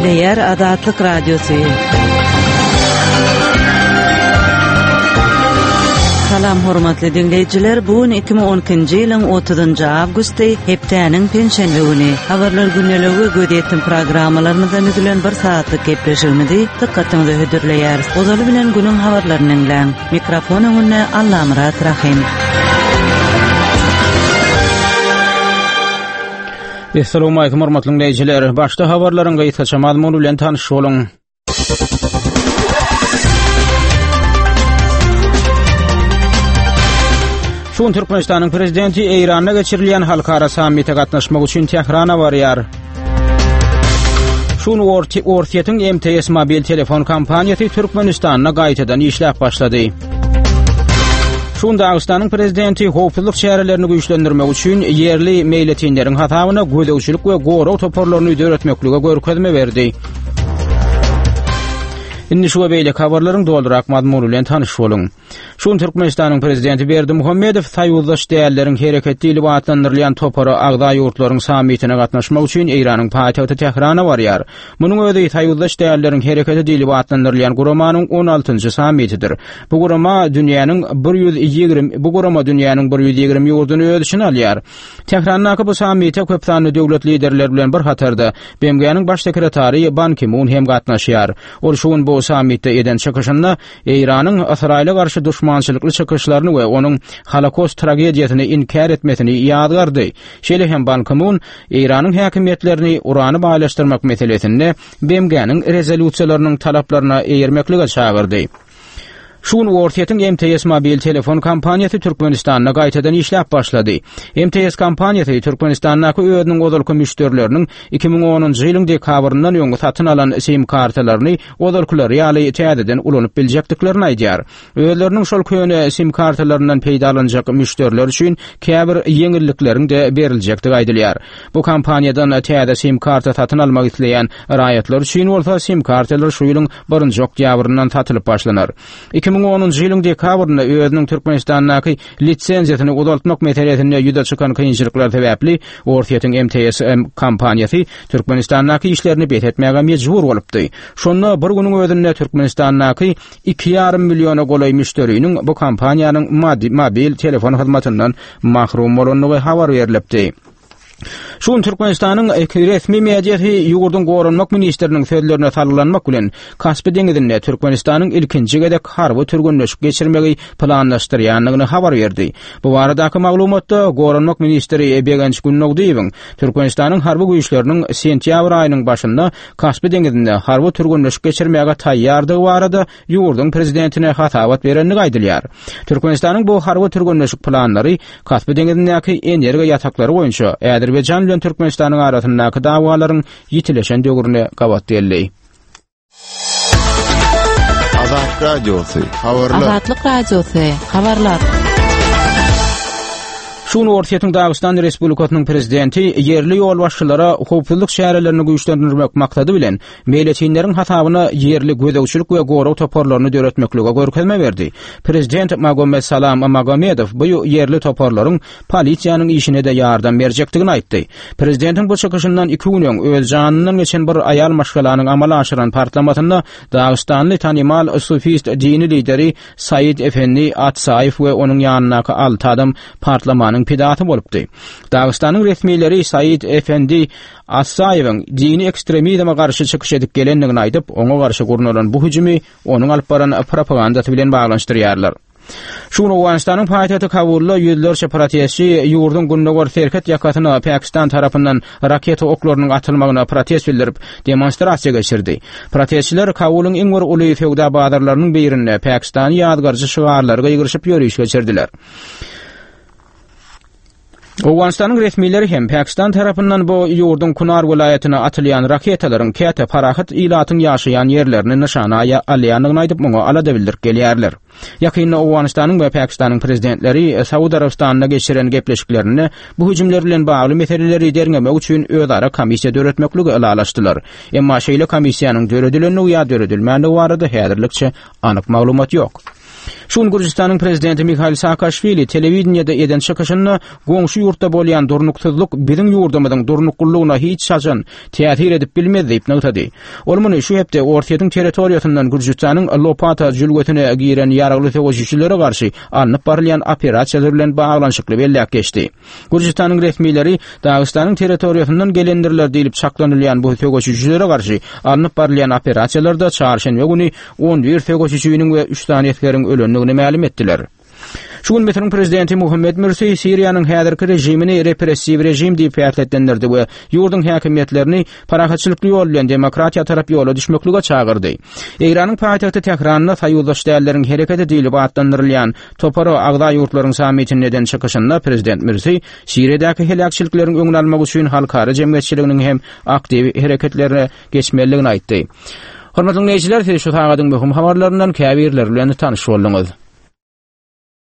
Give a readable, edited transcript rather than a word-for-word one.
Gepleýär Azatlyk Radiosy. Salam hormatly diňleýjiler, bu gün 2012-nji ýylyň 30-njy awgusty, hepdäniň penşenbe güni. Habarlar gündeligi we gözýetim programmalarymyzdan düzülen bir sagatlyk gepleşigimizi dykgatyňyza hödürleýäris. Ozaly bilen günüň habarlaryny diňläň. Mikrofon öňünde Allamyrat Rahym. Essalawmalikim hormatly diňleýjiler. Başda habarlaryň gysgaça mazmuny bilen tanyş boluň. Şu gün Türkmenistanyň prezidenti Eýranda geçirilýän halkara sammite gatnaşmak üçin Tährana barýar. Şu gün Orsýetiň MTS mobil telefon kompaniýasy Türkmenistanda gaýtadan işläp başlady. Şu gün Dagystanyň prezidenti howpsuzlyk çärelerini güýçlendirmek üçin ýerli meýletinleriň hasabyna gözegçilik we gorag toparlaryny döretmeklige görkezme berdi. Indi şu we beýleki habarlaryň dolurak mazmuny bilen tanyş boluň. Şu gün Türkmenistanyň Prezidenti Berdimuhamedow Soýuzdaş dälleriň hereketi diýlip atlandyrylýan topara agza ýurtlaryň sammitine gatnaşmak üçin Eýranyň paýtagty Tährana barýar. Munuň özi Soýuzdaş dälleriň hereketi diýlip atlandyrylýan guramanyň on altynjy sammitidir. Bu gurama dünýäniň 120 bu gurama dünýäniň 120 ýurduny öz içine alýar. Tährandaky bu sammite köp sanly döwlet liderleri bilen bir hatarda BMG-niň Baş sekretary Ban Ki-mun hem gatnaşýar. Ol şu gün bu sammitde eden çykyşynda Eýranyň Ysraýyla garşy duşmançylykly çykyşlaryny we onuň Holokost tragediýasyny inkär etmesini ýazgardy. Şeýle hem Ban Ki-mun Eýranyň häkimiýetlerini urany baýlaşdyrmak meselesinde BMG-niň rezolýusiýalarynyň talaplaryna eýermeklige çagyrdy. Şu gün Orsýetiň MTS mobil telefon kompaniýasy Türkmenistanda gaýtadan işläp başlady. MTS kompaniýasy Türkmenistandaky özüniň ozalky müşderileriniň 2010-njy ýylyň dekabryndan öň satyn alan sim kartalaryny ozalkylary ýaly täzeden ulanyp biljekdiklerini aýdýar. Özleriniň şol köne sim kartalaryndan peýdalanjak müşderiler üçin käbir ýeňillikleriň-de beriljekdigi aýdylýar. Bu kompaniýadan täze sim karta satyn almak isleýän raýatlar üçin bolsa sim kartalar şu ýylyň birinji oktýabryndan satylyp başlanar. 2010-njy ýylyň dekabrynda özüniň Türkmenistandaky lisenziýasyny uzaltmak meselesinde ýüze çykan kynçylyklar sebäpli Orsýetiň MTS kompaniýasy Türkmenistandaky işlerini bes etmäge mejbur bolupdy. Şonda bir günüň özünde Türkmenistandaky iki ýarym milliona golaý müşderiniň bu kompaniýanyň mobil telefon hyzmatyndan mahrum bolandygy habar berlipdi. Şu gün Türkmenistanyň resmi mediasy ýurduň goranmak ministriniň sözlerine salgylanmak bilen, Kaspi deňizinde Türkmenistanyň ilkinji gezek harby türgenleşik geçirmegi planlaşdyrýandygyny habar berdi. Bu baradaky maglumatda goranmak ministri Begenç Gündogdyýewiň Türkmenistanyň harby güýçleriniň sentýabr aýynyň başynda Kaspi deňizinde harby türgenleşik geçirmäge taýýardygy barada ýurduň prezidentine hasabat berendigi aýdylýar. Türkmenistanyň bu harby türgenleşik planlary Kaspi deňizindäki energiýa ýataklary boýunça Azerbaýjan bilen Türkmenistanyň arasyndaky dawalaryň ýitileşen döwrüne gabat geldi. Azat Radiosy, habarlar. Azatlyk Radiosy, habarlar. Şu gün Orsýetiň Dagystan Respublikasynyň prezidenti ýerli ýolbaşçylara howpsuzlyk çärelerini güýçlendirmek maksady bilen meýletinleriň hasabyna ýerli gözegçilik we gorag toparlaryny döretmeklige görkezme berdi. Prezident Magomedsalam Magomedow bu ýerli toparlaryň polisiýanyň işine-de ýardam berjekdigini aýtdy. Prezidentiň bu çykyşyndan iki gün öň öz janyndan geçen bir aýal maşgalanyň amala aşyran partlamasynda dagystanly tanymal sufist dini lideri Said Efendi Atsaýew we onuň ýanyndaky alty adam partlamanyň pidasy bolupdy. Dagystanyň resmileri Said Efendi Atsaýewiň dini ekstremizme garşy çykyş edip gelendigini aýdyp, oňa garşy gurnalan bu hüjümi onuň alyp baran propagandasy bilen baglanyşdyrýarlar. Şu gün Owganystanyň paýtagty Kabulda ýüzlerçe protestçi ýurduň gündogar serhet ýakasyna Pakistan tarapyndan raketa oklarynyň atylmagyna protest bildirip, demonstrasiýa geçirdi. Protestçiler Kabulyň iň bir uly söwda bazarlarynyň birinde Pakistany ýazgaryjy şygarlary gygyryşyp ýöriş geçirdiler. Owganystanyň resmileri hem Pakistan tarapyndan bu ýurduň Kunar welaýatyna atylýan raketalaryň käte parahat ilatyň ýaşaýan ýerlerini nyşana alýandygyny aýdyp, muňa alada bildirip gelýärler. Ýakynda Owganystanyň we Pakistanyň prezidentleri Saud Arabystanynda geçiren gepleşiklerinde bu hüjümler bilen bagly meseleleri derňemek üçin özara komissiýa döretmekligi ylalaşdylar. Emma şeýle komissiýanyň döredilendigi ýa döredilmändigi barada häzirlikçe anyk maglumat ýok. Şu gün Gürjüstanyň prezidenti Mihail Saakaşwili telewideniýede eden çykyşynda goňşy ýurtda bolýan durnuksyzlyk biziň ýurdumyzyň durnuklylygyna hiç haçan täsir edip bilmez diýip nygtady. Ol muny şu hepde Orsýetiň territoriýasyndan Gürjüstanyň Lopata jülgesine giren ýaragly söweşijilere garşy alnyp barylýan operasiýalar bilen baglanyşykly belläp geçdi. Gürjüstanyň resmileri Dagystanyň territoriýasyndan gelendirler diýlip çaklanylýan bu söweşijilere garşy alnyp barylýan operasiýalarda çarşenbe güni 11 söweşijiniň we üç sany esgeriň ölendigini mälim etdiler. Şu gün Müsüriň prezidenti Muhammed Mürsi Siriýanyň häzirki režimini repressiw režim diýip häsiýetlendirdi we ýurduň häkimiýetlerini parahatçylykly ýol bilen demokratiýa tarap ýola düşmeklige çagyrdy. Eýranyň paýtagty Tähranda soýuzdaş dälleriň hereketi diýlip atlandyrylýan topara agza ýurtlaryň sammitinde eden çykyşynda prezident Mürsi Siriýadaky heläkçilikleriň öňüni almak üçin halkara jemgyýetçiliginiň hem aktiw hereketlerine geçmelidigini aýtdy. Hormatly diňleýjiler, siz şu sagadyň möhüm habarlaryndan käbirleri bilen tanyş bolduňyz.